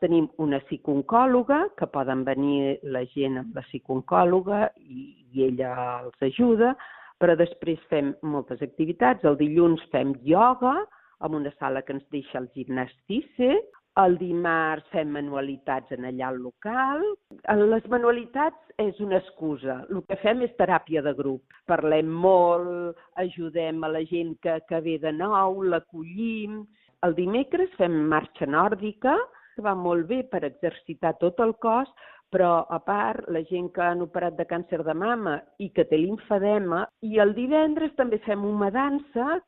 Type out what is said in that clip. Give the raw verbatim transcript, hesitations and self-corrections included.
Tenim una psicooncòloga, que poden venir la gent amb la psicooncòloga i, i ella els ajuda, però després fem moltes activitats. El dilluns fem ioga, en una sala que ens deixa el gimnastice. El dimarts fem manualitats en allà al local. Les manualitats és una excusa. El que fem és teràpia de grup. Parlem molt, ajudem a la gent que, que ve de nou, l'acollim. El dimecres fem marxa nòrdica, que va molt bé per exercitar tot el cos, però a part la gent que han operat de càncer de mama i que té limfedema. I el divendres també fem una dansa